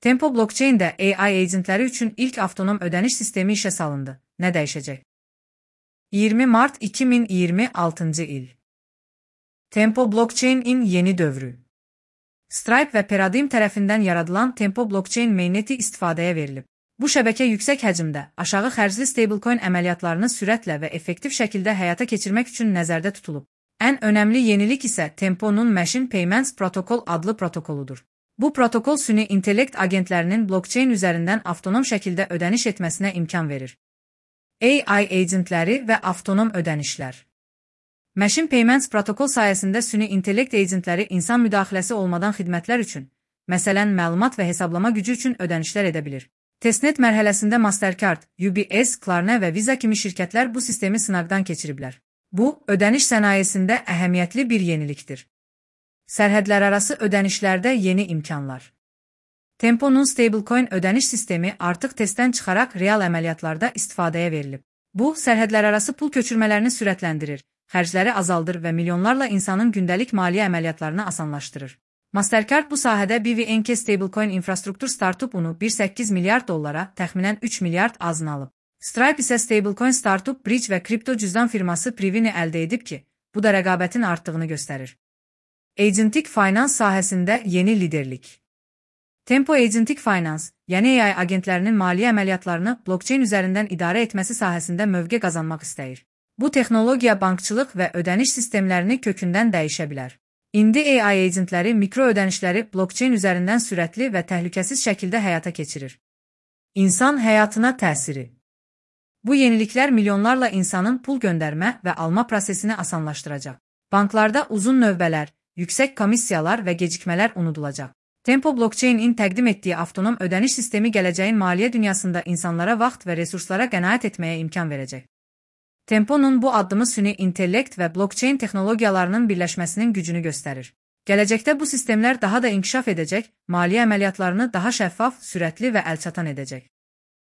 Tempo blockchain-də AI agentləri üçün ilk avtonom ödəniş sistemi işə salındı. Nə dəyişəcək? 20 mart 2026 il. Tempo blockchain-in yeni dövrü. Stripe və Paradigm tərəfindən yaradılan Tempo blockchain mainneti istifadəyə verilib. Bu şəbəkə yüksək həcmdə, aşağı xərcli stablecoin əməliyyatlarını sürətlə və effektiv şəkildə həyata keçirmək üçün nəzərdə tutulub. Ən önəmli yenilik isə Tempo'nun Machine Payments Protocol adlı protokoludur. Bu protokol süni intellekt agentlərinin blockchain üzərindən avtonom şəkildə ödəniş etməsinə imkan verir. AI agentləri və avtonom ödənişlər. Machine Payments protokol sayəsində süni intellekt agentləri insan müdaxiləsi olmadan xidmətlər üçün, məsələn, məlumat və hesablama gücü üçün ödənişlər edə bilir. Testnet mərhələsində Mastercard, UBS, Klarna və Visa kimi şirkətlər bu sistemi sınaqdan keçiriblər. Bu, ödəniş sənayesində əhəmiyyətli bir yenilikdir. Sərhədlərarası ödənişlərdə yeni imkanlar. Tempo'nun stablecoin ödəniş sistemi artıq testdən çıxaraq real əməliyyatlarda istifadəyə verilib. Bu, sərhədlərarası pul köçürmələrini sürətləndirir, xərcləri azaldır və milyonlarla insanın gündəlik maliyyə əməliyyatlarını asanlaşdırır. Mastercard bu sahədə BVNK stablecoin infrastruktur startupunu 1,8 milyard dollara, təxminən 3 milyard azını alıb. Stripe isə stablecoin startup Bridge və kripto cüzdan firması Privini əldə edib ki, bu da rəqabətin artdığını göstərir. Agentic Finance sahəsində yeni liderlik. Tempo Agentic Finance, yəni AI agentlərinin maliyyə əməliyyatlarını blockchain üzərindən idarə etməsi sahəsində mövqe qazanmaq istəyir. Bu texnologiya bankçılıq və ödəniş sistemlərini kökündən dəyişə bilər. İndi AI agentləri mikro ödənişləri blockchain üzərindən sürətli və təhlükəsiz şəkildə həyata keçirir. İnsan həyatına təsiri. Bu yeniliklər milyonlarla insanın pul göndərmə və alma prosesini asanlaşdıracaq. Banklarda uzun növbələr, yüksək komissiyalar və gecikmələr unudulacaq. Tempo blockchain-in təqdim etdiyi avtonom ödəniş sistemi gələcəyin maliyyə dünyasında insanlara vaxt və resurslara qənaət etməyə imkan verəcək. Tempo'nun bu addımı süni intellekt və blockchain texnologiyalarının birləşməsinin gücünü göstərir. Gələcəkdə bu sistemlər daha da inkişaf edəcək, maliyyə əməliyyatlarını daha şəffaf, sürətli və əlçatan edəcək.